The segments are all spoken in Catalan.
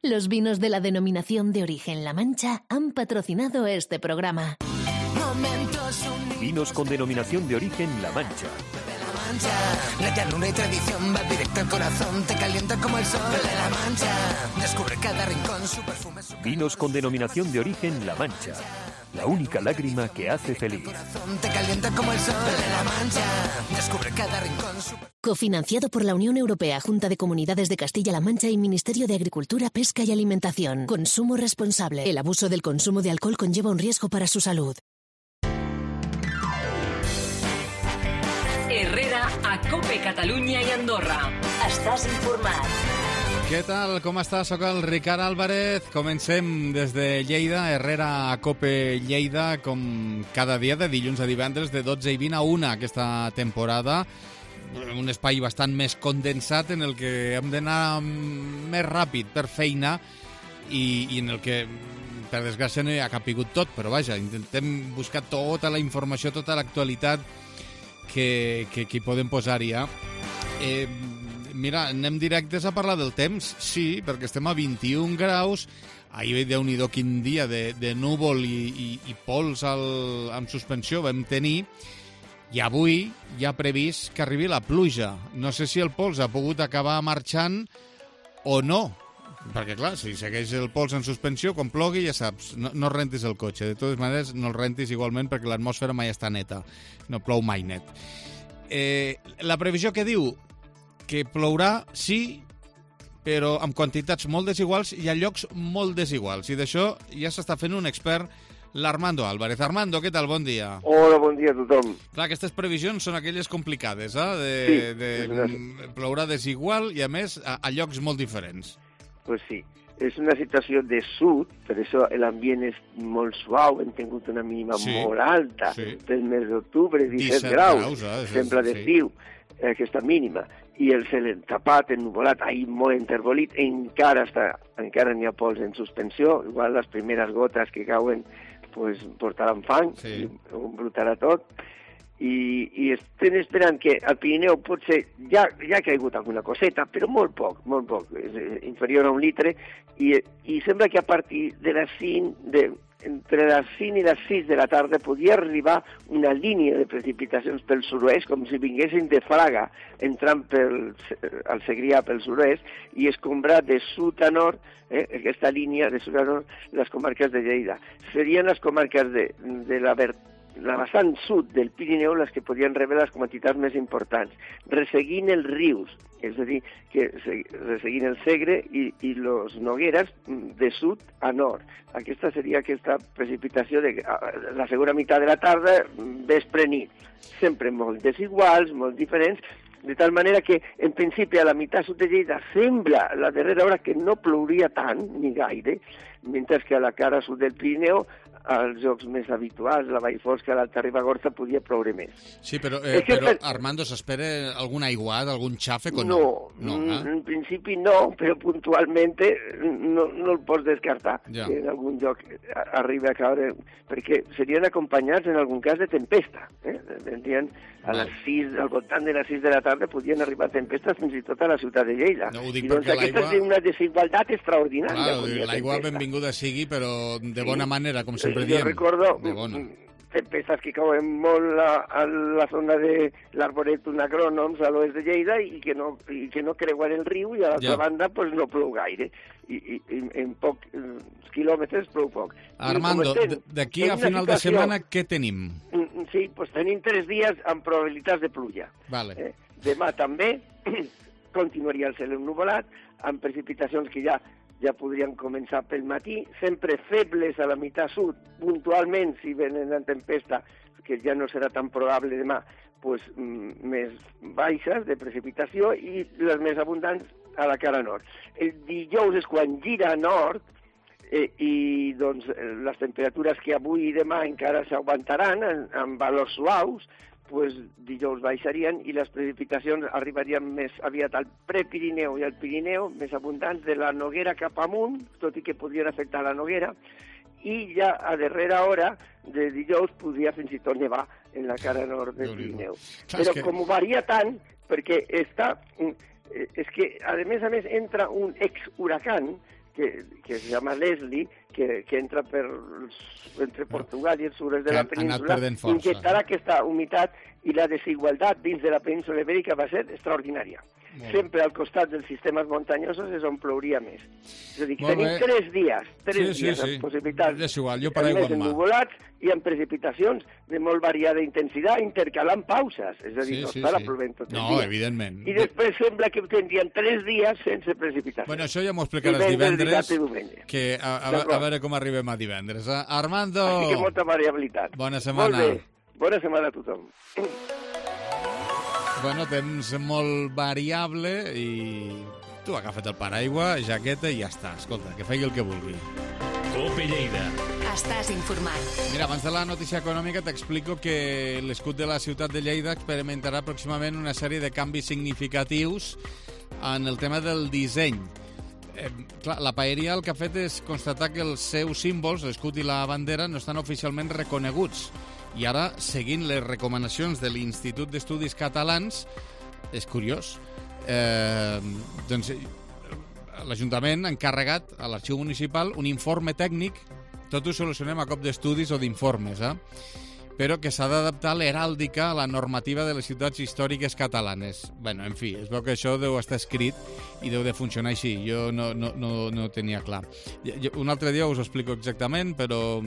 Los vinos de la denominación de origen La Mancha han patrocinado este programa. Vinos con denominación de origen La Mancha. La llanura y tradición va directo al corazón, te calienta como el sol de La Mancha. Descubre cada rincón, su perfume, su Vinos con denominación de origen La Mancha. La única lágrima que hace feliz. te calienta como el sol de La Mancha. Descubre cada rincón, su Cofinanciado por la Unión Europea, Junta de Comunidades de Castilla-La Mancha y Ministerio de Agricultura, Pesca y Alimentación. Consumo responsable. El abuso del consumo de alcohol conlleva un riesgo para su salud. Herrera a COPE Catalunya i Andorra. Estàs informat. Què tal? Com estàs? Soc el Ricard Álvarez. Comencem des de Lleida, Herrera a COPE Lleida, com cada dia de dilluns a divendres de 12 i 20 a 1 aquesta temporada. Un espai bastant més condensat en el que hem d'anar més ràpid per feina i en el que, per desgràcia, no hi ha capigut tot, però vaja, intentem buscar tota la informació, tota l'actualitat que hi podem posar ja. Mira, anem directes a parlar del temps, sí, perquè estem a 21 graus, ahir Déu-n'hi-do quin dia de núvol i pols en suspensió vam tenir, i avui hi ha previst que arribi la pluja. No sé si el pols ha pogut acabar marxant o no, perquè clar, si segueix el pols en suspensió, quan plogui ja saps, no rentis el cotxe. De totes maneres, no el rentis igualment perquè l'atmosfera mai està neta, no plou mai net. La previsió que diu que plourà, sí, però amb quantitats molt desiguals i a llocs molt desiguals. I d'això ja s'està fent un expert, l'Armando Álvarez. Armando, què tal? Bon dia. Hola, bon dia a tothom. Clar, aquestes previsions són aquelles complicades, plourà desigual i, a més, a llocs molt diferents. Pues sí, és una situació de sud, per això l'ambient és molt suau, hem tingut una mínima molt alta, pel mes d'octubre, 17 graus, sembla d'estiu, aquesta mínima, i el cel tapat, ennuvolat, ahir molt enterbolit, encara n'hi ha pols en suspensió, igual les primeres gotes que cauen pues, portaran fang, ho embrutarà tot, i estem esperant que al Pirineu potser ja ha caigut alguna coseta, però molt poc, és inferior a 1 litre, i sembla que a partir de les 5, entre les 5 i les 6 de la tarda podia arribar una línia de precipitacions pel sud-oest, com si vinguessin de Fraga, entrant al Segrià pel sud-oest, i escombrar de sud a nord, aquesta línia de sud a nord, les comarques de Lleida. Serien les comarques de la vessant sud del Pirineu les que podien rebre les quantitats més importants, resseguint els rius, és a dir, que resseguint el Segre i los Nogueres de sud a nord. Aquesta seria aquesta precipitació de la segona meitat de la tarda, vespre nit. Sempre molt desiguals, molt diferents, de tal manera que, en principi, a la meitat sud de Lleida sembla, la darrera hora, que no plouria tant, ni gaire, mentre que a la cara sud del Pirineu, als llocs més habituals, la Vallfosca, l'Alta Ribagorça, podia ploure més. Sí, però Armando, s'espera algun aiguat, algun xàfec o no? No, en principi no, però puntualment no el pots descartar, que en algun lloc arribi a caure, perquè serien acompanyats en algun cas de tempesta. Vendrien al voltant de les 6 de la tarda podien arribar tempestes fins i tot a la ciutat de Lleida. No, ho dic i doncs aquesta és una desigualtat extraordinària. Clar, l'aigua benvinguda sigui, però de bona manera, com sempre diem. Jo recordo tempestes que cauen molt a la zona de l'Arboretum Agrònoms a l'oest de Lleida i que no creuen el riu i a l'altra banda pues, no plou gaire. I en pocs quilòmetres plou poc. Armando, d'aquí a final de setmana què tenim? Sí, pues tenim 3 dies amb probabilitats de pluja. Vale. Demà també continuaria el cel ennuvolat, amb precipitacions que ja podrien començar pel matí, sempre febles a la meitat sud, puntualment, si venen en tempesta, que ja no serà tan probable demà, pues, més baixes de precipitació i les més abundants a la cara nord. El dijous és quan gira a nord i doncs, les temperatures que avui i demà encara s'aguantaran amb valors suaus, pues, dijous baixarien i les precipitacions arribarien més aviat al prepirineu i al Pirineu, més abundants de la Noguera cap amunt, tot i que podrien afectar la Noguera, i ja a darrera hora de dijous podria fins i tot nevar en la cara nord del Pirineu. Però com varia tant, perquè és que a més entra un ex-huracan que se llama Leslie, que entra entre Portugal i els sures de la península, inyectarà aquesta humitat i la desigualtat dins de la península ibèrica va ser extraordinària. Sempre al costat dels sistemes muntanyosos és on plouria més. És a dir, tenim 3 dies amb possibilitats més ennuvolats i amb precipitacions de molt variada intensitat, intercalant pauses. És a dir, no estarà plovent tot el dia. No, evidentment. I després sembla que tindrien 3 dies sense precipitacions. Bueno, això ja m'ho explicaràs divendres, que a veure com arribem a divendres. Armando! Així que molta variabilitat. Bona setmana. Molt bé. Bona setmana a tothom. Bueno, temps molt variable i tu agafa't el paraigua, jaqueta i ja està. Escolta, que faci el que vulgui. COPE Lleida. Estàs informat. Mira, abans de la notícia econòmica t'explico que l'escut de la ciutat de Lleida experimentarà pròximament una sèrie de canvis significatius en el tema del disseny. Clar, la paeria el que ha fet és constatar que els seus símbols, l'escut i la bandera, no estan oficialment reconeguts. I ara, seguint les recomanacions de l'Institut d'Estudis Catalans, és curiós, doncs l'Ajuntament ha encarregat a l'Arxiu Municipal un informe tècnic, tot ho solucionem a cop d'estudis o d'informes, però que s'ha d'adaptar l'heràldica a la normativa de les ciutats històriques catalanes. Bueno, en fi, es veu que això deu estar escrit i deu de funcionar així. Jo no tenia clar. Un altre dia us ho explico exactament, però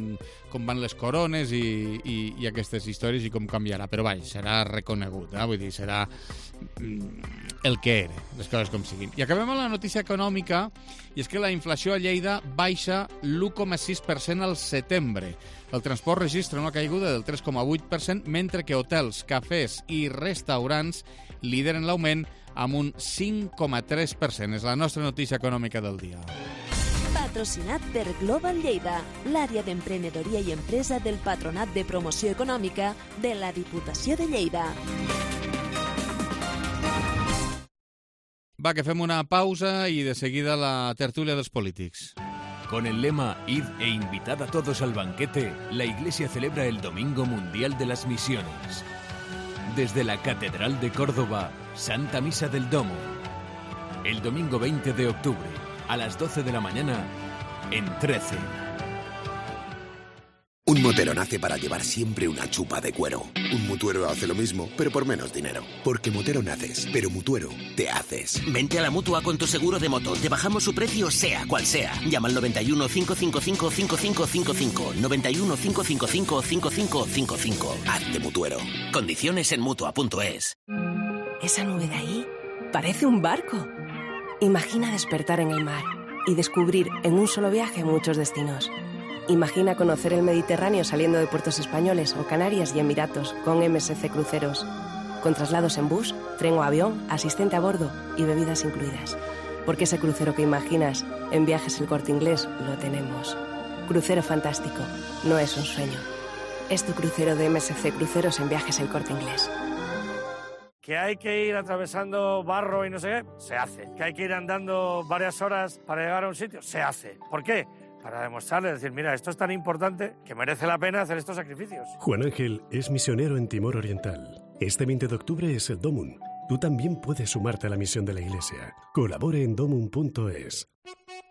com van les corones i aquestes històries i com canviarà. Però vaja, serà reconegut, vull dir, serà el que era, les coses com siguin. I acabem amb la notícia econòmica, i és que la inflació a Lleida baixa l'1,6% al setembre. El transport registra una caiguda del 3,8%, mentre que hotels, cafès i restaurants lideren l'augment amb un 5,3%. És la nostra notícia econòmica del dia. Patrocinat per Global Lleida, l'àrea d'emprenedoria i empresa del Patronat de Promoció Econòmica de la Diputació de Lleida. Va, que fem una pausa y de seguida la tertulia de los polítics. Con el lema Id e invitad a todos al banquete, la Iglesia celebra el Domingo Mundial de las Misiones. Desde la Catedral de Córdoba, Santa Misa del Domo. El domingo 20 de octubre, a las 12 de la mañana, en 13. Un motero nace para llevar siempre una chupa de cuero. Un mutuero hace lo mismo, pero por menos dinero. Porque motero naces, pero mutuero te haces. Vente a la Mutua con tu seguro de moto. Te bajamos su precio sea cual sea. Llama al 91 555 5555. 91 555 5555. Hazte mutuero. Condiciones en Mutua.es. Esa nube de ahí parece un barco. Imagina despertar en el mar y descubrir en un solo viaje muchos destinos. Imagina conocer el Mediterráneo saliendo de puertos españoles o Canarias y Emiratos con MSC Cruceros. Con traslados en bus, tren o avión, asistente a bordo y bebidas incluidas. Porque ese crucero que imaginas en Viajes El Corte Inglés lo tenemos. Crucero fantástico, no es un sueño. Es tu crucero de MSC Cruceros en Viajes El Corte Inglés. Que hay que ir atravesando barro y no sé qué, se hace. Que hay que ir andando varias horas para llegar a un sitio, se hace. ¿Por qué? Para demostrarle, decir, mira, esto es tan importante que merece la pena hacer estos sacrificios. Juan Ángel es misionero en Timor Oriental. Este 20 de octubre es el Domun. Tú también puedes sumarte a la misión de la Iglesia. Colabore en domun.es.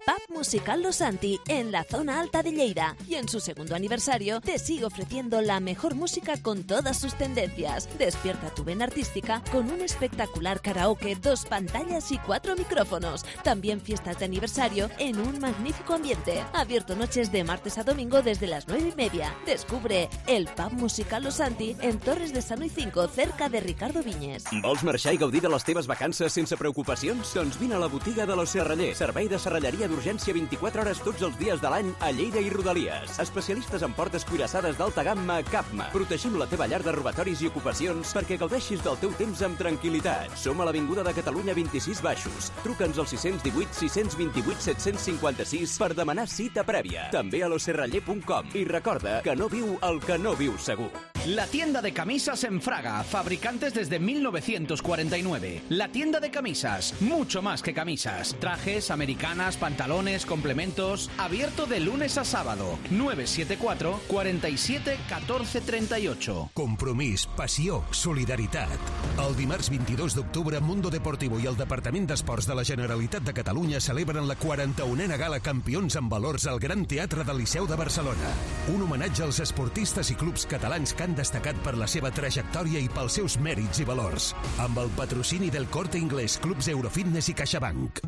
Pub Musical Los Santi, en la zona alta de Lleida. Y en su segundo aniversario te sigue ofreciendo la mejor música con todas sus tendencias. Despierta tu vena artística con un espectacular karaoke, 2 pantallas y 4 micrófonos. También fiestas de aniversario en un magnífico ambiente. Abierto noches de martes a domingo desde las 9:30. Descubre el Pub Musical Los Santi en Torres de Sano y 5, cerca de Ricardo Viñes. Vols marxar i gaudir de les teves vacances sense preocupacions? Doncs vine a la botiga de Los Serrallers. Servei de serralleria d'urgència 24 hores tots els dies de l'any a Lleida i Rodalies. Especialistes en portes cuirassades d'alta gamma Capma. Protegim la teva llar de robatoris i ocupacions perquè gaudeixis del teu temps amb tranquil·litat. Som a l'Avinguda de Catalunya 26 Baixos. Truca'ns al 618 628 756 per demanar cita prèvia. També a loserraller.com. I recorda que no viu el que no viu segur. La tienda de camisas en Fraga, fabricantes desde 1949. La tienda de camisas, mucho más que camisas. Trajes, americanas, pantalones, complementos. Abierto de lunes a sábado. 974 47 14 38. Compromís, passió, solidaritat. El dimarts 22 d'octubre, Mundo Deportivo i el Departament d'Esports de la Generalitat de Catalunya celebren la 41a Gala Campions en Valors al Gran Teatre del Liceu de Barcelona. Un homenatge als esportistes i clubs catalans que han destacat per la seva trajectòria i pels seus mèrits i valors, amb el patrocini del Corte Inglés, Clubs Eurofitness i CaixaBank.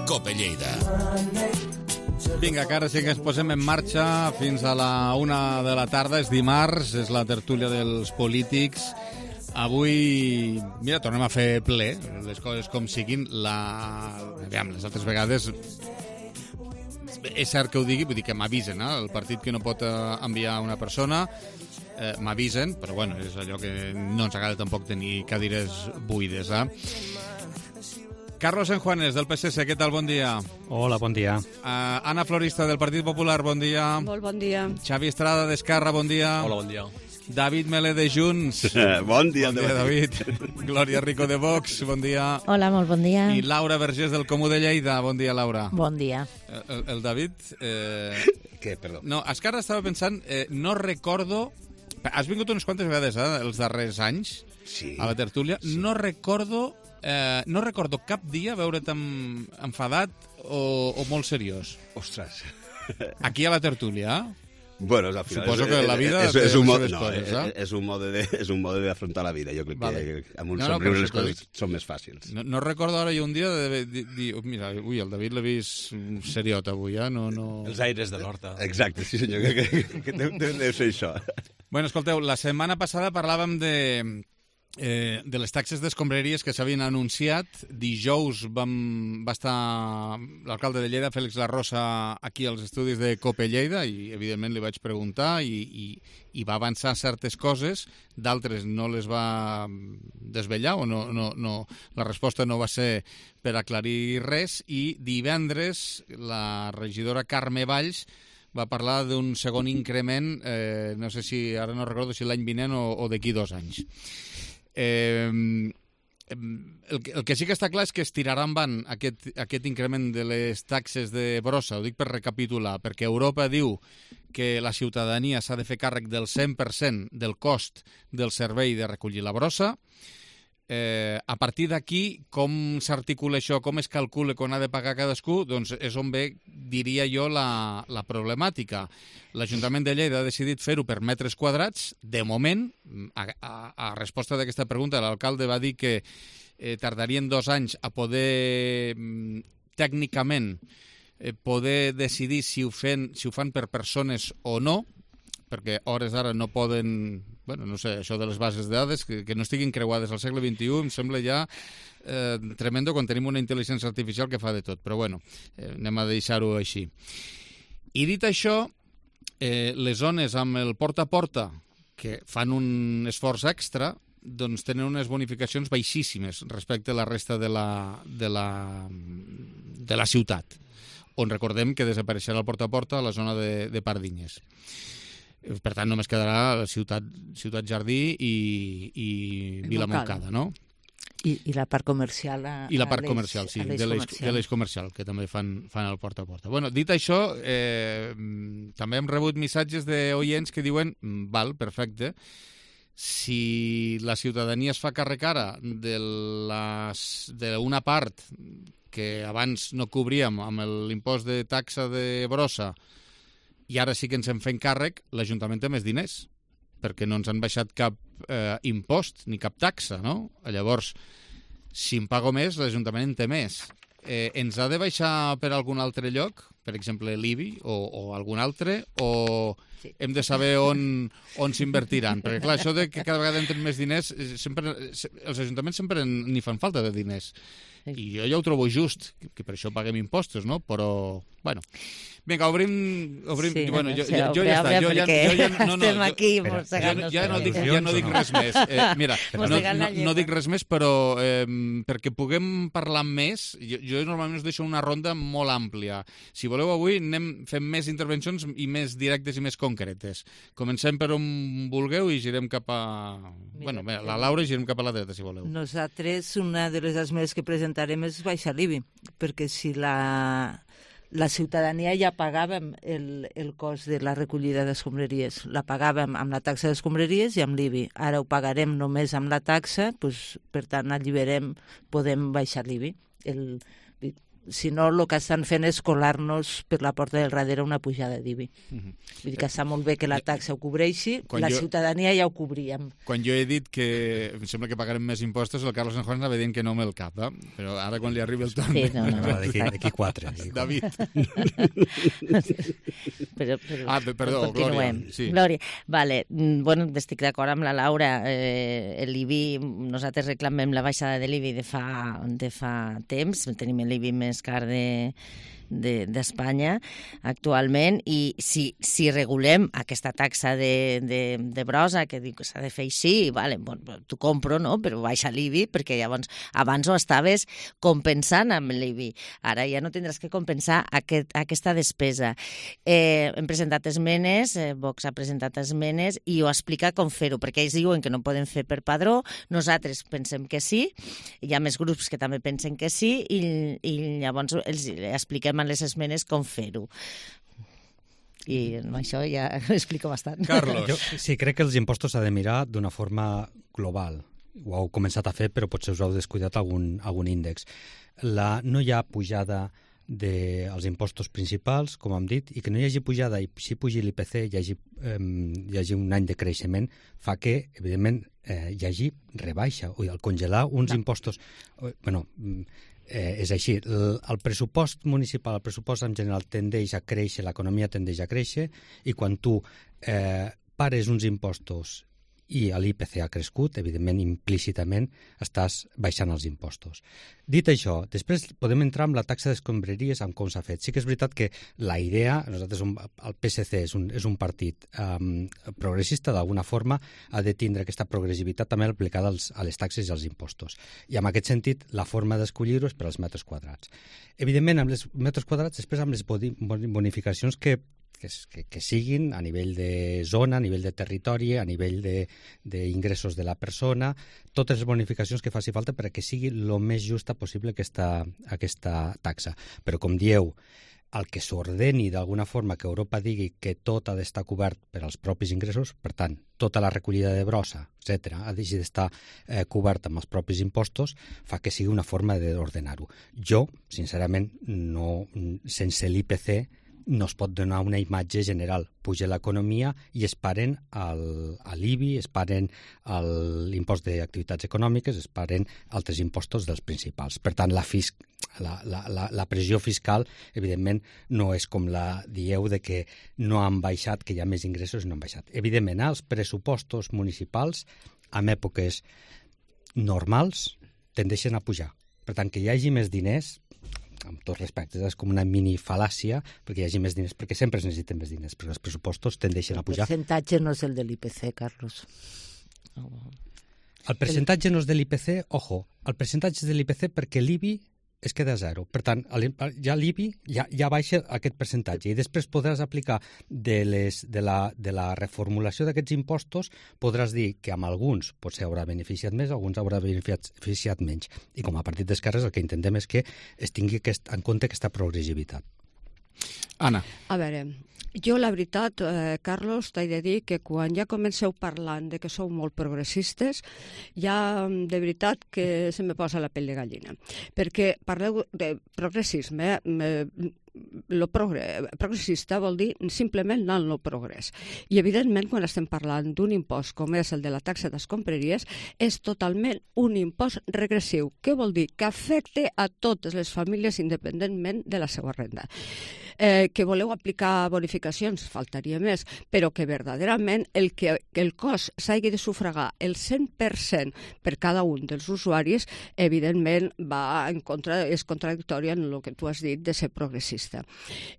Cope Lleida. Vinga, que ara sí que ens posem en marxa fins a la 1 de la tarda. És dimarts, és la tertúlia dels polítics. Avui, mira, tornem a fer ple, les coses com siguin. Les altres vegades és cert que ho digui, vull dir que m'avisen, el partit que no pot enviar una persona m'avisen, però bueno, és allò que no ens agrada tampoc tenir cadires buides. Carlos Enjuanes, del PSC, què tal? Bon dia. Hola, bon dia. Anna Florista, del Partit Popular, bon dia. Molt bon dia. Xavi Estrada, d'Esquerra, bon dia. Hola, bon dia. David Melé, de Junts. Bon dia, David. Glòria Rico, de Vox, bon dia. Hola, molt bon dia. I Laura Vergés, del Comú de Lleida, bon dia, Laura. Bon dia. El David... Què, perdó? No, és que ara estava pensant, no recordo... Has vingut unes quantes vegades, els darrers anys, a la tertúlia. Sí. No recordo cap dia veure't enfadat o molt seriós. Ostres. Aquí a la tertúlia, Bueno, al final suposo que la vida és un mode d'afrontar la vida. Jo crec que amb un somriure les coses són més fàcils. No recordo ara jo un dia de dir, mira, el David l'he vist seriot avui, no... Els aires de l'horta. Exacte, sí senyor, que deu ser això. Bueno, escolteu, la setmana passada parlàvem de les taxes d'escombraries que s'havien anunciat. Dijous va estar l'alcalde de Lleida, Félix Larrosa, aquí als estudis de Cope Lleida i, evidentment, li vaig preguntar i va avançar certes coses, d'altres no les va desvetllar o la resposta no va ser per aclarir res, i divendres la regidora Carme Valls va parlar d'un segon increment, no sé si, ara no recordo si l'any vinent o d'aquí 2 anys. El que sí que està clar és que es tirarà endavant aquest increment de les taxes de brossa. Ho dic per recapitular, perquè Europa diu que la ciutadania s'ha de fer càrrec del 100% del cost del servei de recollir la brossa. A partir d'aquí, com s'articula això, com es calcula quan ha de pagar cadascú, doncs és on ve, diria jo, la problemàtica. L'Ajuntament de Lleida ha decidit fer-ho per metres quadrats. De moment, a resposta d'aquesta pregunta, l'alcalde va dir que tardarien 2 anys a poder, tècnicament, poder decidir si ho fan per persones o no, perquè a hores d'ara no poden... Bueno, no sé, això de les bases de dades, que no estiguin creuades al segle XXI, em sembla ja tremendo quan tenim una intel·ligència artificial que fa de tot. Però bueno, anem a deixar-ho així. I dit això, les zones amb el porta a porta, que fan un esforç extra, doncs tenen unes bonificacions baixíssimes respecte a la resta de la ciutat, on recordem que desapareixerà el porta a porta a la zona de Pardinyes. Per tant, només quedarà la Ciutat Jardí i Vilamoncada, no? I la part comercial. I la part comercial, sí, de l'eix comercial, que també fan el porta a porta. Bueno, dit això, també hem rebut missatges d'oients que diuen, val, perfecte, si la ciutadania es fa càrrec ara d'una part que abans no cobríem amb l'impost de taxa de brossa, i ara sí que ens en fem càrrec, l'Ajuntament té més diners, perquè no ens han baixat cap impost ni cap taxa, no? Llavors, si en pago més, l'Ajuntament en té més. Ens ha de baixar per algun altre lloc, per exemple l'IBI o algun altre, o hem de saber on s'invertiran. Perquè, clar, això de que cada vegada entren més diners, els ajuntaments sempre n'hi fan falta de diners. I jo ja ho trobo just, que per això paguem impostos, no? Però, bueno... Vinga, obrim... Sí, bueno, jo ja està. Estem aquí mossegant-nos. Ja no dic res més. Mira, no dic res més, però perquè puguem parlar més, jo normalment us deixo una ronda molt àmplia. Si voleu avui, fem més intervencions i més directes i més concretes. Comencem per on vulgueu i girem cap a... Bueno, la Laura i girem cap a la dreta, si voleu. Nosaltres, una de les esmenes que presentarem és baixar l'IBI, perquè si la ciutadania ja pagàvem el cost de la recollida d'escombraries. La pagàvem amb la taxa d'escombraries i amb l'IBI. Ara ho pagarem només amb la taxa, doncs, per tant, podem baixar l'IBI. Si no, el que estan fent és colar-nos per la porta del darrere una pujada d'IBI. Vull dir que està molt bé que la taxa ho cobreixi, ciutadania ja ho cobríem. Quan jo he dit que em sembla que pagarem més impostos, el Carlos San Juan anava dient que no amb el cap, però ara quan li arribi el torn... Sí, no. D'aquí 4. David. Perdó, Glòria. Sí. Glòria. Vale. Bueno, estic d'acord amb la Laura. L'IBI, nosaltres reclamem la baixada de l'IBI de fa temps, tenim l'IBI més car d'Espanya actualment, i si regulem aquesta taxa de brossa, que diu que s'ha de fer així, vale, t'ho compro, no? Però baixa l'IBI, perquè llavors abans ho estaves compensant amb l'IBI. Ara ja no tindràs que compensar aquesta despesa. Hem presentat esmenes, Vox ha presentat esmenes, i ho explica com fer-ho, perquè ells diuen que no poden fer per padró, nosaltres pensem que sí, hi ha més grups que també pensen que sí, i llavors els expliquem a les esmenes com fer-ho. I amb això ja ho explico bastant. Carlos. Sí, crec que els impostos s'ha de mirar d'una forma global. Ho heu començat a fer, però potser us heu descuidat algun índex. No hi ha pujada dels impostos principals, com hem dit, i que no hi hagi pujada i si pugi l'IPC hi hagi un any de creixement, fa que, evidentment, hi hagi rebaixa. El congelar uns impostos... és així, el pressupost municipal, el pressupost en general tendeix a créixer, l'economia tendeix a créixer, i quan tu pares uns impostos i l'IPC ha crescut, evidentment, implícitament estàs baixant els impostos. Dit això, després podem entrar amb la taxa d'escombraries, amb com s'ha fet. Sí que és veritat que la idea, el PSC és un partit progressista, d'alguna forma ha de tindre aquesta progressivitat també aplicada a les taxes i als impostos. I en aquest sentit, la forma d'escollir-ho és per als metres quadrats. Evidentment, amb els metres quadrats, després amb les bonificacions que siguin a nivell de zona, a nivell de territori, a nivell d'ingressos de la persona, totes les bonificacions que faci falta perquè sigui el més justa possible aquesta taxa. Però, com dieu, el que s'ordeni d'alguna forma que Europa digui que tot ha d'estar cobert per als propis ingressos, per tant, tota la recollida de brossa, etc., ha d'estar cobert amb els propis impostos, fa que sigui una forma d'ordenar-ho. Jo, sincerament, sense l'IPC, no es pot donar una imatge general. Puja l'economia i es paren l'IBI, es paren l'impost d'activitats econòmiques, es paren altres impostos dels principals. Per tant, la pressió fiscal, evidentment, no és com la dieu de que no han baixat, que hi ha més ingressos i no han baixat. Evidentment, els pressupostos municipals, en èpoques normals, tendeixen a pujar. Per tant, que hi hagi més diners, amb tots respectes, és com una mini-fal·làcia perquè hi hagi més diners, perquè sempre es necessiten més diners, perquè els pressupostos tendeixen a pujar. El percentatge no és el de l'IPC, Carlos. El percentatge no és de l'IPC, ojo, el percentatge és de l'IPC perquè l'IBI es queda a zero. Per tant, ja l'IBI ja baixa aquest percentatge i després podràs aplicar de la reformulació d'aquests impostos, podràs dir que amb alguns potser haurà beneficiat més, alguns haurà beneficiat menys. I com a partit d'esquerres el que intentem és que es tingui en compte aquesta progressivitat. Anna. A veure, jo la veritat, Carlos, t'he de dir que quan ja comenceu parlant de que sou molt progressistes, ja de veritat que se me posa la pell de gallina. Perquè parleu de progressisme, lo progressista vol dir simplement anar al no progrés. I evidentment, quan estem parlant d'un impost com és el de la taxa d'escombraries, és totalment un impost regressiu. Què vol dir? Que afecte a totes les famílies independentment de la seva renda. que voleu aplicar bonificacions, faltaria més, però que verdaderament el cost s'hagi de sufragar el 100% per cada un dels usuaris, evidentment és contradictori en el que tu has dit de ser progressista.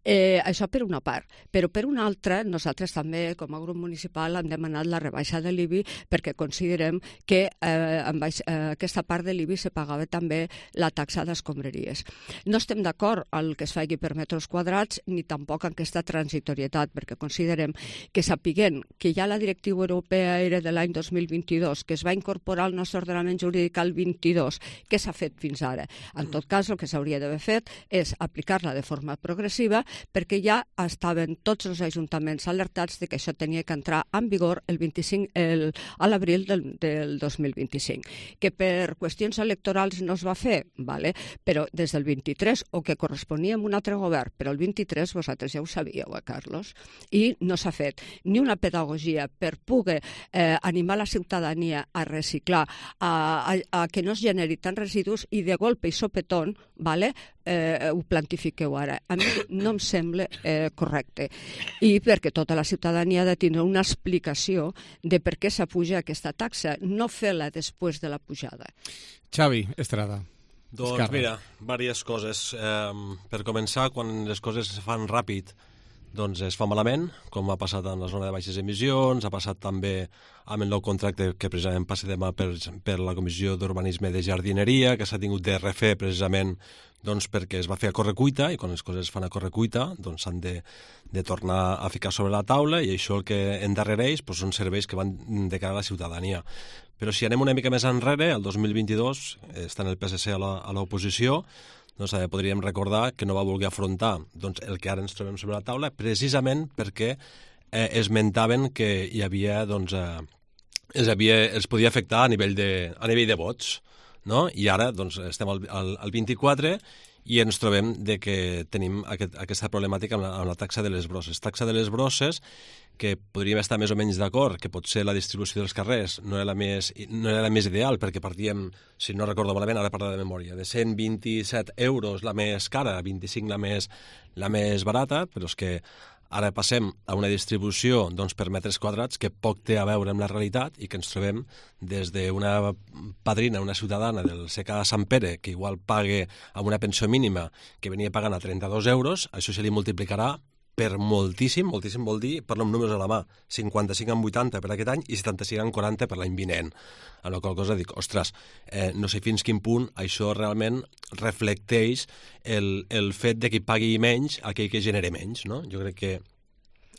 Això per una part, però per una altra, nosaltres també, com a grup municipal, hem demanat la rebaixa de l'IBI perquè considerem que amb aquesta part de l'IBI se pagava també la taxa d'escombraries. No estem d'acord al que es faci per metres quadrats ni tampoc en aquesta transitorietat, perquè considerem que sapiguent que ja la directiva europea era de l'any 2022, que es va incorporar al nostre ordenament jurídic al 22, què s'ha fet fins ara? En tot cas, el que s'hauria d'haver fet és aplicar-la de forma progressiva perquè ja estaven tots els ajuntaments alertats de que això tenia que entrar en vigor a l'abril del 2025. Que per qüestions electorals no es va fer, però des del 23, o que corresponia a un altre govern, però el 23 vosaltres ja ho sabíeu, Carlos, i no s'ha fet ni una pedagogia per poder animar la ciutadania a reciclar, a que no es generi tant residus i de golpe i sopetón, ho plantifiqueu ara. A mi no em sembla correcte. I perquè tota la ciutadania ha de tindre una explicació de per què s'apuja aquesta taxa, no fer-la després de la pujada. Xavi Estrada. Doncs mira, diverses coses. Per començar, quan les coses es fan ràpid, doncs es fa malament, com ha passat en la zona de baixes emissions, ha passat també amb el nou contracte que precisament passa demà per la Comissió d'Urbanisme de Jardineria, que s'ha tingut de refer precisament perquè es va fer a correcuita, i quan les coses es fan a correcuita s'han de tornar a ficar sobre la taula, i això el que endarrereix són serveis que van de cara a la ciutadania. Però si anem una mica més enrere, el 2022, estant el PSC a l'oposició, podríem recordar que no va voler afrontar el que ara ens trobem sobre la taula, precisament perquè esmentaven que hi havia, els podia afectar a nivell de vots, no? I ara estem al 24 i ens trobem que tenim aquesta problemàtica amb la taxa de les brosses. Taxa de les brosses que podríem estar més o menys d'acord, que potser la distribució dels carrers no era la més ideal, perquè partíem, si no recordo malament, ara parlo de memòria, de 127 euros la més cara, 25 la més barata, però és que ara passem a una distribució per metres quadrats que poc té a veure amb la realitat i que ens trobem des d'una padrina, una ciutadana del CK Sant Pere, que igual pague amb una pensió mínima que venia pagant a 32 euros, això se li multiplicarà per moltíssim, moltíssim vol dir, parlo amb números a la mà, 55 en 80 per aquest any i 75 en 40 per l'any vinent. En la qual cosa dic, ostres, no sé fins quin punt això realment reflecteix el fet de que pagui menys aquell que genera menys, no? Jo crec que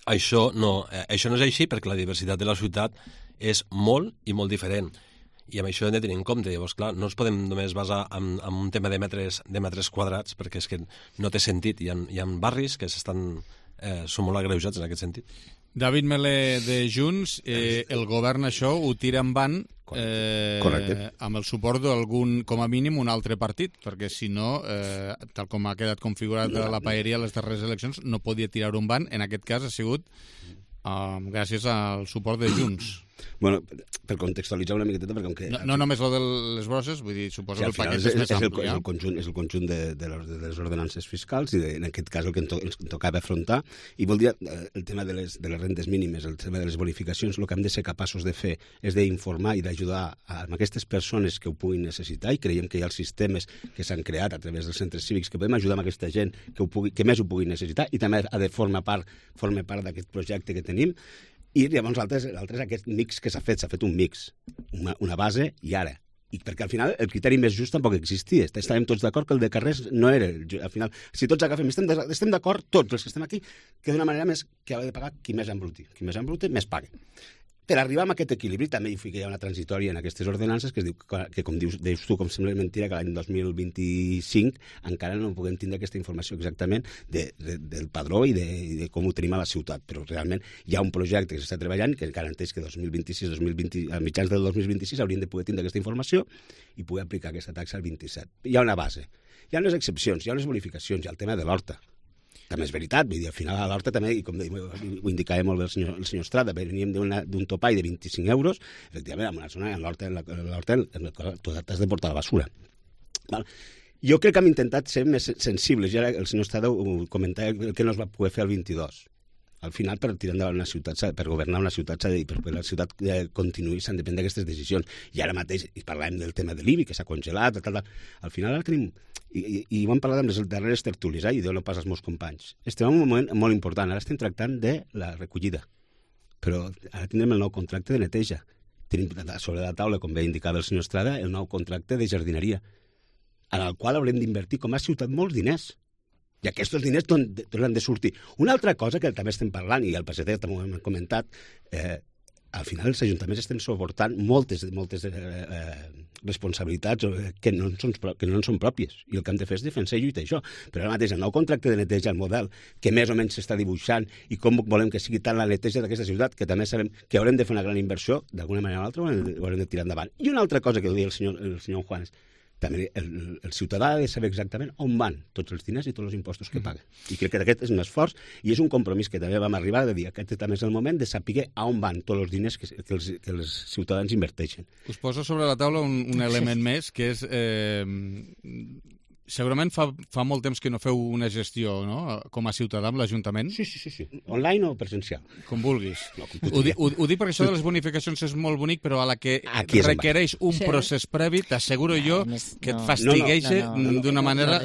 això no és així perquè la diversitat de la ciutat és molt i molt diferent. I amb això hem de tenir en compte. Llavors, clar, no ens podem només basar en un tema de metres quadrats, perquè és que no té sentit. Hi ha barris que són molt agreujats en aquest sentit. David Melé de Junts, el govern això ho tira en van amb el suport d'algun, com a mínim, un altre partit, perquè si no, tal com ha quedat configurat la paeria a les darreres eleccions, no podia tirar-ho en van. En aquest cas ha sigut gràcies al suport de Junts. Bueno, per contextualitzar una miqueteta, perquè com que... No només el de les brosses, vull dir, suposo que el paquet és més ampli. És el conjunt de les ordenances fiscals i en aquest cas el que ens tocava afrontar. I vol dir el tema de les rendes mínimes, el tema de les bonificacions, el que hem de ser capaços de fer és d'informar i d'ajudar a aquestes persones que ho puguin necessitar, i creiem que hi ha els sistemes que s'han creat a través dels centres cívics que podem ajudar a aquesta gent que més ho pugui necessitar, i també ha de formar part d'aquest projecte que tenim. I llavors l'altre és aquest mix que s'ha fet un mix, una base i ara. I perquè al final el criteri més just tampoc existia. Estàvem tots d'acord que el de carrers no era... Al final, si tots agafem, estem d'acord tots els que estem aquí, que d'una manera més que ha de pagar qui més embruti. Qui més embruti, més paga. Per arribar a aquest equilibri també hi ha una transitòria en aquestes ordenances que es diu que, com dius tu, com sembla mentira, que l'any 2025 encara no puguem tindre aquesta informació exactament del padró i de com ho tenim a la ciutat, però realment hi ha un projecte que s'està treballant que garanteix que a mitjans del 2026 haurien de poder tindre aquesta informació i poder aplicar aquesta taxa al 27. Hi ha una base, hi ha unes excepcions, hi ha unes bonificacions, hi ha el tema de l'horta. També és veritat, vull dir, al final a l'horta també, i com ho indicava molt bé el senyor Estrada, veníem d'un topall de 25 euros, efectivament, en una zona, en l'horta t'has de portar la basura. Jo crec que hem intentat ser més sensibles. Ja el senyor Estrada ho comentava, que no es va poder fer el 22. Al final, per tirar endavant una ciutat, per governar una ciutat, i per que la ciutat continuï, s'han de prendre aquestes decisions. I ara mateix, i parlàvem del tema de l'IBI, que s'ha congelat, al final ara tenim, i ho hem parlat amb les darreres tertúlies, i Déu no pas als meus companys. Estem en un moment molt important, ara estem tractant de la recollida, però ara tindrem el nou contracte de neteja. Tenim sobre la taula, com bé indicava el senyor Estrada, el nou contracte de jardineria, en el qual haurem d'invertir com a ciutat molts diners. I aquests diners han de sortir. Una altra cosa que també estem parlant, i el PSC també ho hem comentat, al final els ajuntaments estem suportant moltes responsabilitats que no en són pròpies. I el que hem de fer és defensar i lluitar això. Però ara mateix el nou contracte de neteja, el model que més o menys s'està dibuixant i com volem que sigui tant la neteja d'aquesta ciutat, que també sabem que haurem de fer una gran inversió, d'alguna manera o altra ho haurem de tirar endavant. I una altra cosa que deia el senyor Juanes, també el ciutadà ha de saber exactament on van tots els diners i tots els impostos que paga. I crec que aquest és un esforç i és un compromís que també vam arribar de dir que aquest també és el moment de saber on van tots els diners que els ciutadans inverteixen. Us poso sobre la taula un element més, que és... Segurament fa molt temps que no feu una gestió, no?, com a ciutadà amb l'Ajuntament. Sí. Online o presencial? Com vulguis. Ho dic perquè això de les bonificacions és molt bonic, però a la que requereix un procés previ, t'asseguro jo que et fastigueixa d'una manera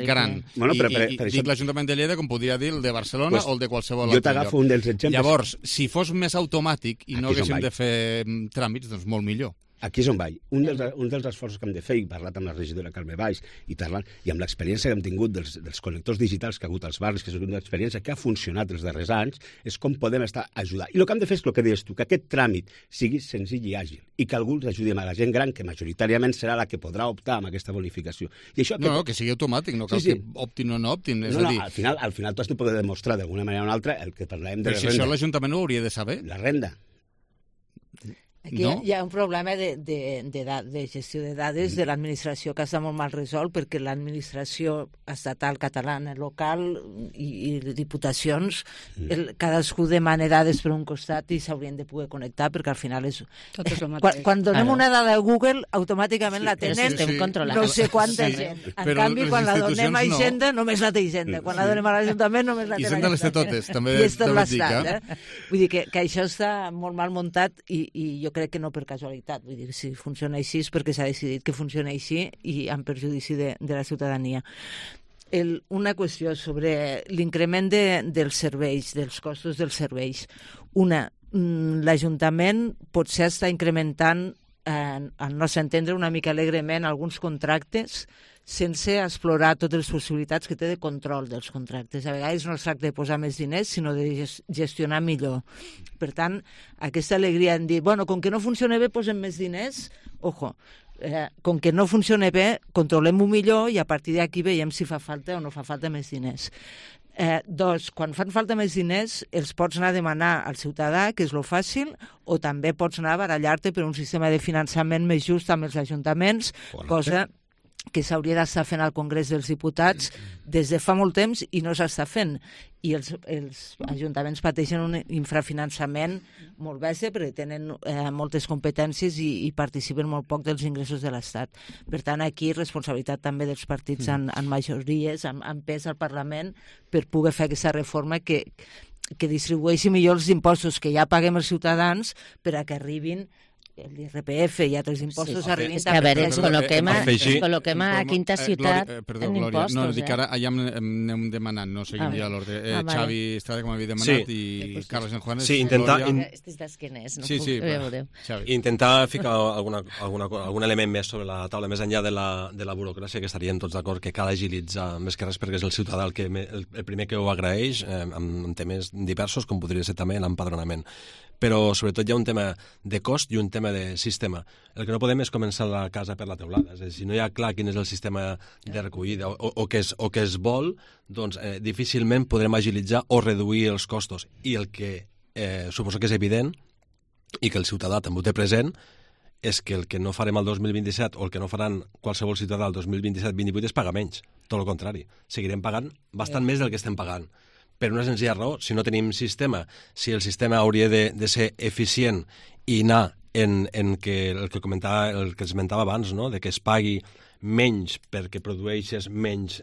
gran. I dic l'Ajuntament de Lleida com podria dir el de Barcelona o el de qualsevol altre lloc. Jo t'agafo un dels exemples. Llavors, si fos més automàtic i no haguéssim de fer tràmits, doncs molt millor. Aquí és on vaig. Un dels esforços que hem de fer, i parlat amb la regidora Carme Valls, i amb l'experiència que hem tingut dels connectors digitals que ha hagut als barris, que és una experiència que ha funcionat els darrers anys, és com podem estar ajudant. I el que hem de fer és el que deies tu, que aquest tràmit sigui senzill i àgil, i que algú ajudi a la gent gran, que majoritàriament serà la que podrà optar amb aquesta bonificació. No, que sigui automàtic, no cal que optin o no optin. Al final tu has de poder demostrar d'alguna manera o una altra el que parlàvem de la renda. Però si això l'Ajuntament ho hauria de saber. La renda. Aquí hi ha un problema de gestió de dades de l'administració que està molt mal resolt, perquè l'administració estatal catalana, local i diputacions, cadascú demana dades per un costat i s'haurien de poder connectar, perquè al final és... Quan donem una dada a Google, automàticament la tenen no sé quanta gent. En canvi, quan la donem a Hisenda, només la té Hisenda. Quan la donem a l'Ajuntament, només la té l'Ajuntament. Hisenda les té totes, també dic, eh? Vull dir que això està molt mal muntat i jo crec que no per casualitat. Vull dir, si funciona així és perquè s'ha decidit que funcioni així i en perjudici de la ciutadania. Una qüestió sobre l'increment dels serveis, dels costos dels serveis. L'Ajuntament potser està incrementant, al nostre entendre, una mica alegrement alguns contractes sense explorar totes les possibilitats que té de control dels contractes. A vegades no es tracta de posar més diners, sinó de gestionar millor. Per tant, aquesta alegria en dir, bueno, com que no funciona bé, posem més diners, ojo, com que no funciona bé, controlem-ho millor i a partir d'aquí veiem si fa falta o no fa falta més diners. Quan fan falta més diners, els pots anar a demanar al ciutadà, que és lo fàcil, o també pots anar a barallar-te per un sistema de finançament més just amb els ajuntaments, cosa que s'hauria d'estar fent al Congrés dels Diputats des de fa molt temps i no s'està fent. I els ajuntaments pateixen un infrafinançament molt bèstia perquè tenen moltes competències i participen molt poc dels ingressos de l'Estat. Per tant, aquí responsabilitat també dels partits en majories, amb pes al Parlament, per poder fer aquesta reforma que distribueixi millor els impostos que ja paguem els ciutadans per a que arribin l'IRPF i altres impostos arribin també. A veure, ens col·loquem a quinta ciutat en impostos. No, dic ara, allà anem demanant, no seguim ja l'ordre. Xavi Estrada, com havia demanat, i Carles Juanes. Sí, intentar... Estes d'esquenes, no? Sí, intentar ficar algun element més sobre la taula, més enllà de la burocràcia, que estaríem tots d'acord que cal agilitzar més que res, perquè és el ciutadà el primer que ho agraeix, en temes diversos, com podria ser també l'empadronament. Però sobretot hi ha un tema de cost i un tema de sistema. El que no podem és començar la casa per la teulada. És a dir, si no hi ha clar quin és el sistema de recollida o que es vol, doncs difícilment podrem agilitzar o reduir els costos. I el que suposo que és evident i que el ciutadà també ho té present és que el que no farem el 2027 o el que no faran qualsevol ciutadà el 2027-2028 és pagar menys. Tot el contrari. Seguirem pagant bastant més del que estem pagant. Per una senzilla raó, si no tenim sistema, si el sistema hauria de ser eficient i anar en que el que esmentava abans, no? De que es pagui menys perquè produeixes menys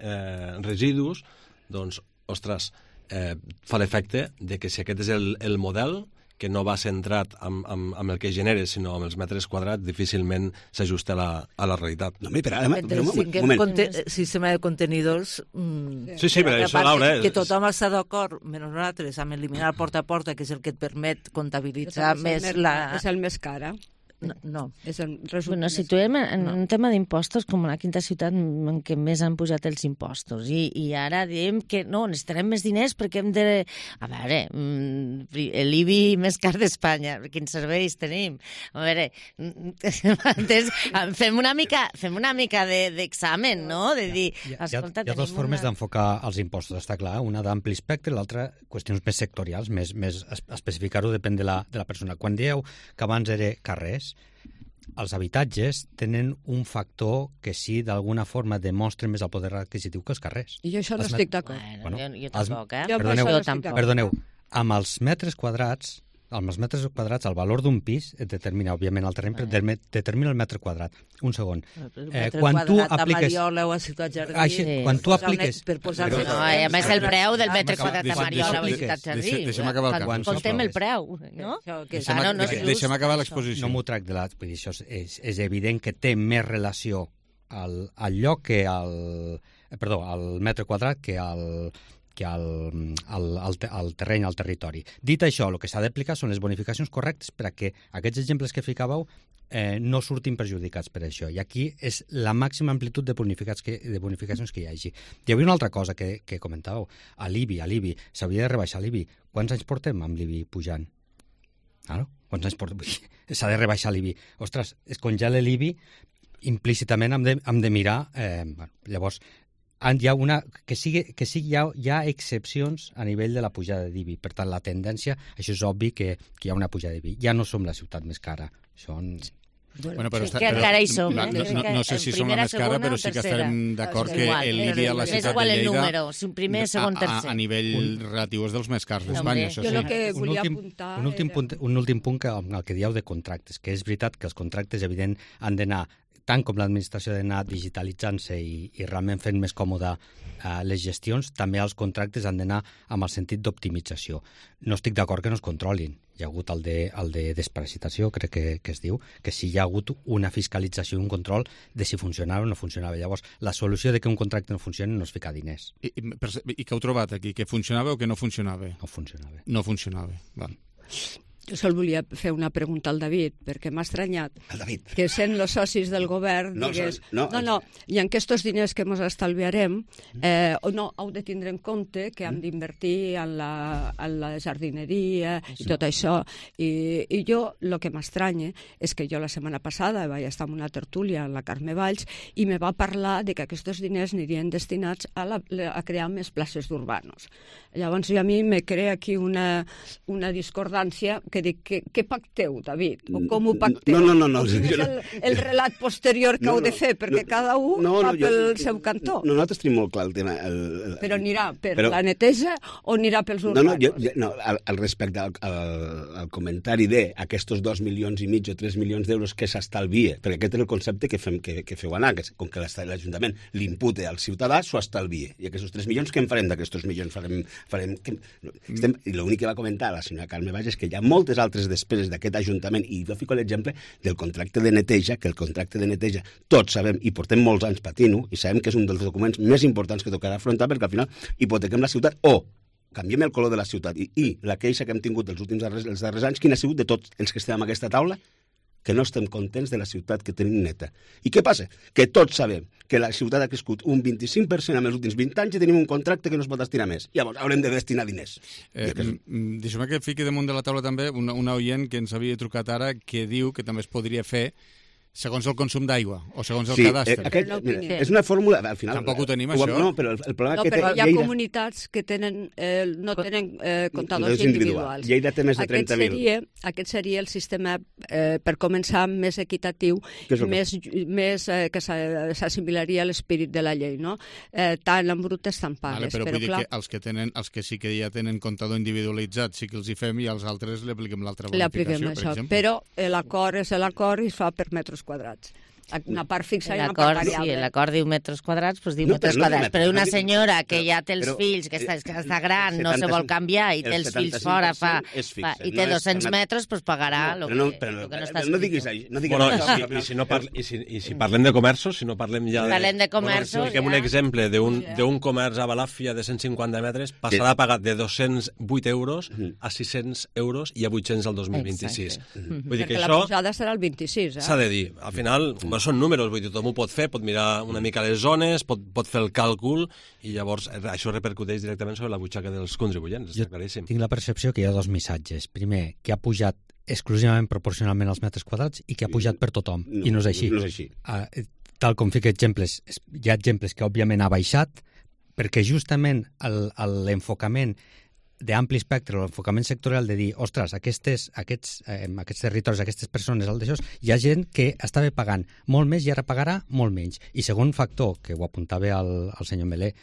residus, doncs, ostres, fa l'efecte de que si aquest és el model, que no va centrat amb el que genera, sinó amb els metres quadrats, difícilment s'ajusta a la realitat. No, però un sistema de contenidors... Sí, però això, Laura... Que tothom està d'acord, menys nosaltres, amb eliminar el porta a porta, que és el que et permet comptabilitzar més la... És el més cara. No. Bueno, situem en un tema d'impostos com la quinta ciutat en què més han pujat els impostos. I ara diem que no, necessitarem més diners perquè hem de... A veure, l'IBI més car d'Espanya, quins serveis tenim? A veure, fem una mica d'examen, no? De dir, escolta, hi ha dues formes d'enfocar els impostos, està clar. Una d'ampli espectre, l'altra qüestions més sectorials, més especificar-ho depèn de la persona. Quan dieu que abans era carrers, els habitatges tenen un factor que sí, d'alguna forma, demostra més el poder adquisitiu que els carrers. I jo això no estic d'acord. Jo tampoc, Perdoneu, amb els metres quadrats, el valor d'un pis et determina, òbviament, el terreny, determina el metre quadrat. Un segon. Quan tu apliques... a Mariola o a Ciutat Jardí... Quan tu apliques... No, a més, el preu del metre quadrat a Mariola o a Ciutat Jardí. Deixa'm acabar el cas. Contem el preu, no? Deixa'm acabar l'exposició. No m'ho tracta de l'altre. Això és evident que té més relació al lloc que al metre quadrat que al terreny, al territori. Dit això, el que s'ha d'aplicar són les bonificacions correctes perquè aquests exemples que ficàveu no surtin perjudicats per això. I aquí és la màxima amplitud de bonificacions que hi hagi. Hi havia una altra cosa que comentàveu. A l'IBI. S'hauria de rebaixar l'IBI. Quants anys portem amb l'IBI pujant? Quants anys portem? S'ha de rebaixar l'IBI. Ostres, es congela l'IBI, implícitament hem de mirar... Llavors, hi ha excepcions a nivell de la pujada d'IBI. Per tant, la tendència, això és obvi que hi ha una pujada d'IBI. Ja no som la ciutat més cara. No sé si som la més cara, però sí que estarem d'acord que l'IBI a la ciutat de Lleida a nivell relatiu és dels més cars d'Espanya. Jo el que volia apuntar... Un últim punt el que dieu de contractes, que és veritat que els contractes, evident, han d'anar tant com l'administració ha d'anar digitalitzant-se i realment fent més còmode les gestions, també els contractes han d'anar amb el sentit d'optimització. No estic d'acord que no es controlin. Hi ha hagut el de desparasitació, crec que es diu, que sí hi ha hagut una fiscalització i un control de si funcionava o no funcionava. Llavors, la solució de que un contracte no funcioni no és ficar diners. I què heu trobat aquí? Que funcionava o que no funcionava? No funcionava. No funcionava, val. Jo sol volia fer una pregunta al David, perquè m'ha estranyat que sent els socis del govern digués, i en aquests diners que ens estalviarem heu de tindre en compte que hem d'invertir en la jardineria i tot això. I jo el que m'estranya és que jo la setmana passada vaig estar en una tertúlia amb la Carme Valls i me va parlar de que aquests diners anirien destinats a crear més places d'urbanos. Llavors a mi me crea aquí una discordància que dic, què pacteu, David? O com ho pacteu? No. Quin és el relat posterior que heu de fer? Perquè cada un va pel seu cantó. Nosaltres tenim molt clar el tema. Però anirà per la neteja o anirà pels urbanos? No, al respecte al comentari d'aquests 2,5 milions o 3 milions d'euros que s'estalvia, perquè aquest és el concepte que feu anar, que com que l'Ajuntament l'impute al ciutadà, s'ho estalvia. I aquests 3 milions, què en farem d'aquests milions? I l'únic que va comentar la senyora Carme Valls és que hi ha moltes altres despeses d'aquest Ajuntament, i jo fico l'exemple del contracte de neteja, que el contracte de neteja tots sabem i portem molts anys patint-ho, i sabem que és un dels documents més importants que tocarà afrontar, perquè al final hipotequem la ciutat o canviem el color de la ciutat. I la queixa que hem tingut els darrers anys, quina ha sigut de tots els que estem en aquesta taula? Que no estem contents de la ciutat que tenim neta. I què passa? Que tots sabem que la ciutat ha crescut un 25% en els últims 20 anys i tenim un contracte que no es pot destinar més. Llavors haurem de destinar diners. Deixa'm que fiqui damunt de la taula també una oient que ens havia trucat ara que diu que també es podria fer segons el consum d'aigua o segons el cadastre. És una fórmula, al final... Tampoc ho tenim, això. No, però el problema que té... Però hi ha comunitats que no tenen comptadors individuals. Lleida té més de 30.000. Aquest seria el sistema, per començar, més equitatiu, que s'assimilaria a l'espírit de la llei, no? Tant en brutes, tant pagues. Però vull dir que els que sí que ja tenen comptador individualitzat sí que els hi fem i als altres li apliquem l'altra bonificació, per exemple. Però l'acord és l'acord i es fa per metres quadrats. Una part fixa i una part variable. Sí, l'acord diu metres quadrats, doncs diu metres quadrats. Però una senyora que ja té els fills, que està gran, no se vol canviar i té els fills fora i té 200 metres, doncs pagarà el que no està escrit. No diguis això. I si parlem de comerços, si no parlem ja de... Parlem de comerços, ja. Un exemple d'un comerç a Balàfia de 150 metres passarà a pagar de 208 euros a 600 euros i a 800 al 2026. Vull dir que perquè això... la pujada serà el 26, S'ha de dir. Al final, són números, vull dir, tothom ho pot fer, pot mirar una mica les zones, pot fer el càlcul, i llavors això repercuteix directament sobre la butxaca dels contribuents. Jo tinc la percepció que hi ha dos missatges. Primer, que ha pujat exclusivament proporcionalment als metres quadrats i que ha pujat per tothom, i no és així. No és així. Tal com fica exemples, hi ha exemples que òbviament ha baixat, perquè justament l'enfocament d'ampli espectre, l'enfocament sectorial de dir, ostres, aquests territoris, aquestes persones, hi ha gent que estava pagant molt més i ara pagarà molt menys. I segon factor, que ho apuntava el senyor Melé,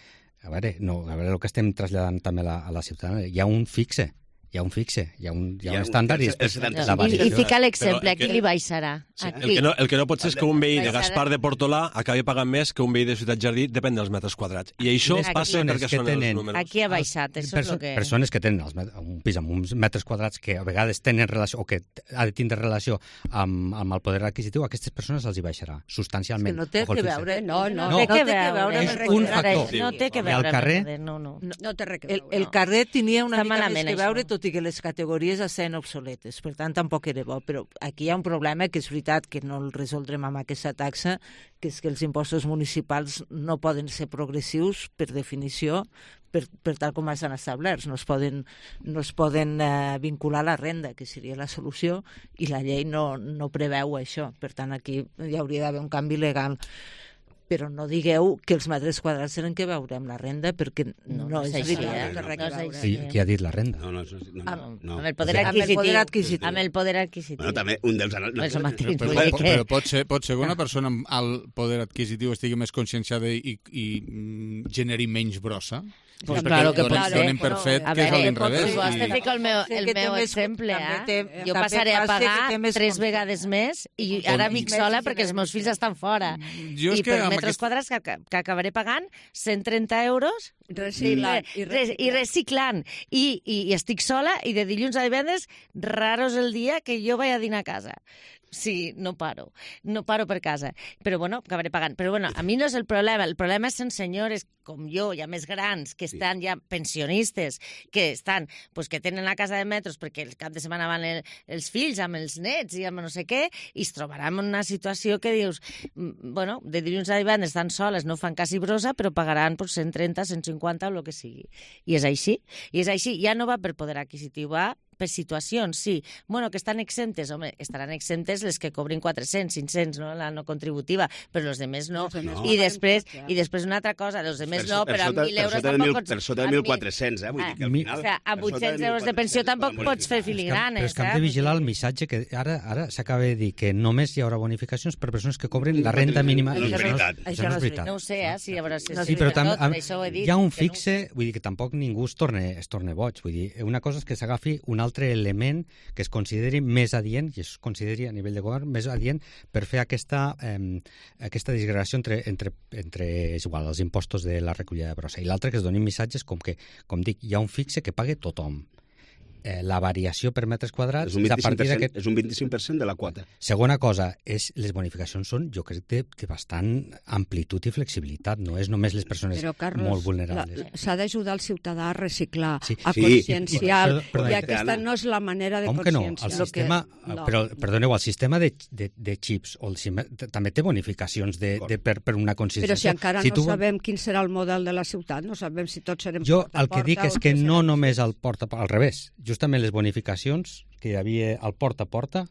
a veure el que estem traslladant també a la ciutadania, hi ha un fixe, hi ha un estàndard i després la variació. I fica l'exemple, aquí li baixarà. El que no pot ser és que un veí de Gaspar de Portolà acabi pagant més que un veí de Ciutat Jardí, depèn dels metres quadrats. I això passa perquè són els números. Aquí ha baixat, això és el que... Persones que tenen un pis amb uns metres quadrats que a vegades tenen relació, o que ha de tindre relació amb el poder adquisitiu, a aquestes persones els hi baixarà substancialment. No té que veure, no té que veure. És un factor. No té que veure. Al carrer... No té res que veure. El carrer tenia una mica més que veure, tot i que les categories estaven obsoletes, per tant tampoc era bo, però aquí hi ha un problema que és veritat que no el resoldrem amb aquesta taxa, que és que els impostos municipals no poden ser progressius per definició, per tal com estan establerts, no es poden vincular a la renda, que seria la solució, i la llei no preveu això, per tant aquí hi hauria d'haver un canvi legal. Però no digueu que els metres quadrats tenen que veure amb la renda, perquè no és veritat. Qui ha dit la renda? Amb el poder adquisitiu. Amb el poder adquisitiu. Bueno, també un dels... Però pot ser que una persona amb alt poder adquisitiu estigui més conscienciada i generi menys brossa? Pues claro que pot ser. Donem per fet que és a l'inrevés. Te fico el meu exemple. Jo passaré a pagar 3 vegades més i ara vic sola perquè els meus fills estan fora. I per metres quadrats que acabaré pagant 130 euros i reciclant. I estic sola i de dilluns a divendres raro és el dia que jo vaig a dinar a casa. Sí, no paro per casa, però bueno, acabaré pagant. Però bueno, a mi no és el problema són senyores com jo, ja més grans, que estan ja pensionistes, que estan, pues que tenen la casa de metros perquè el cap de setmana van els fills amb els nets i amb no sé què, i es trobaran en una situació que dius, bueno, de dilluns a divendres estan soles, no fan quasi brossa, però pagaran pues, 130, 150 o el que sigui. I és així, ja no va per poder adquisitiu, va per situacions, sí. Bueno, que estan exemptes, home, estaran exemptes les que cobrin 400, 500, no? La no contributiva, però els demés no. I després una altra cosa, els demés no, però amb 1.000 euros tampoc pots... Per sota de 1.400, vull dir que al final... O sigui, amb 800 euros de pensió tampoc pots fer filigranes, Però és que hem de vigilar el missatge que ara s'acaba de dir que només hi haurà bonificacions per persones que cobren la renda mínima. No és veritat. Això no és veritat. No ho sé, sí, a veure si sí, però hi ha un fixe, vull dir que tampoc ningú es torna boig. Vull dir, una cosa és que s'agafi un altre element que es consideri més adient, i es consideri a nivell de govern més adient per fer aquesta disgregació entre és igual, els impostos de la recollida de brossa. I l'altre que es donin missatges com que, com dic, hi ha un fixe que pague tothom. La variació per metres quadrats és un 25% de la quota. Segona cosa, les bonificacions són, jo crec, de bastant amplitud i flexibilitat, no és només les persones molt vulnerables. S'ha d'ajudar el ciutadà a reciclar, a conscienciar, i aquesta no és la manera de conscienciar. Perdoneu, el sistema de xips també té bonificacions per una conscienciació. Però si encara no sabem quin serà el model de la ciutat, no sabem si tots serem porta a porta. Jo el que dic és que no només el porta a porta, al revés, justament les bonificacions que hi havia al porta a porta,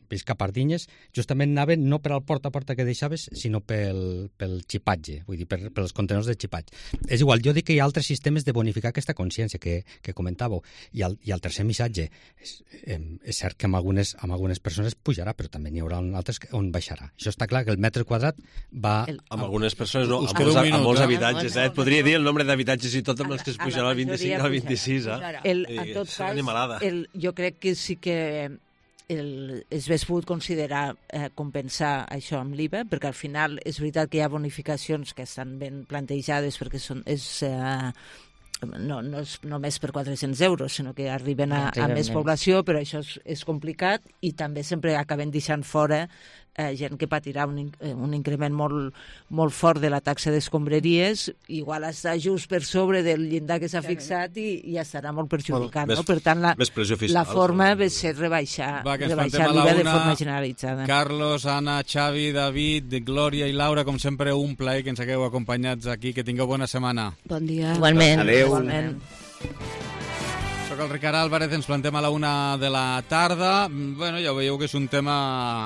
Visca Pardinyes, justament anaven no per al porta a porta que deixaves, sinó pel xipatge, vull dir, pels contenedors de xipatge. És igual, jo dic que hi ha altres sistemes de bonificar aquesta consciència que comentàveu. I el tercer missatge, és cert que amb algunes persones pujarà, però també n'hi haurà altres on baixarà. Això està clar, que el metre quadrat va... Amb algunes persones no, amb molts habitatges. Et podria dir el nombre d'habitatges i tot amb els que es pujarà al 25 al 26. En tot cas, jo crec que sí que s'hagués pogut considerar compensar això amb l'IVA, perquè al final és veritat que hi ha bonificacions que estan ben plantejades perquè no és només per 400 euros, sinó que arriben a més població, però això és complicat i també sempre acaben deixant fora gent que patirà un increment molt fort de la taxa d'escombraries, igual està just per sobre del llindar que s'ha fixat i ja estarà molt perjudicat. Per tant, la forma va ser rebaixar l'IVA de forma generalitzada. Carlos, Anna, Xavi, David, Glòria i Laura, com sempre, un plaer que ens hagueu acompanyats aquí. Que tingueu bona setmana. Bon dia. Igualment. Adéu. Igualment. Soc el Ricard Álvarez, ens plantem a la 1 de la tarda. Bueno, ja veieu que és un tema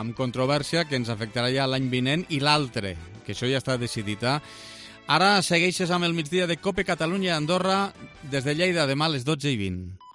amb controvèrsia que ens afectarà ja l'any vinent i l'altre, que això ja està decidit. Ara segueixes amb el migdia de COPE Catalunya i Andorra des de Lleida, demà a les 12:20.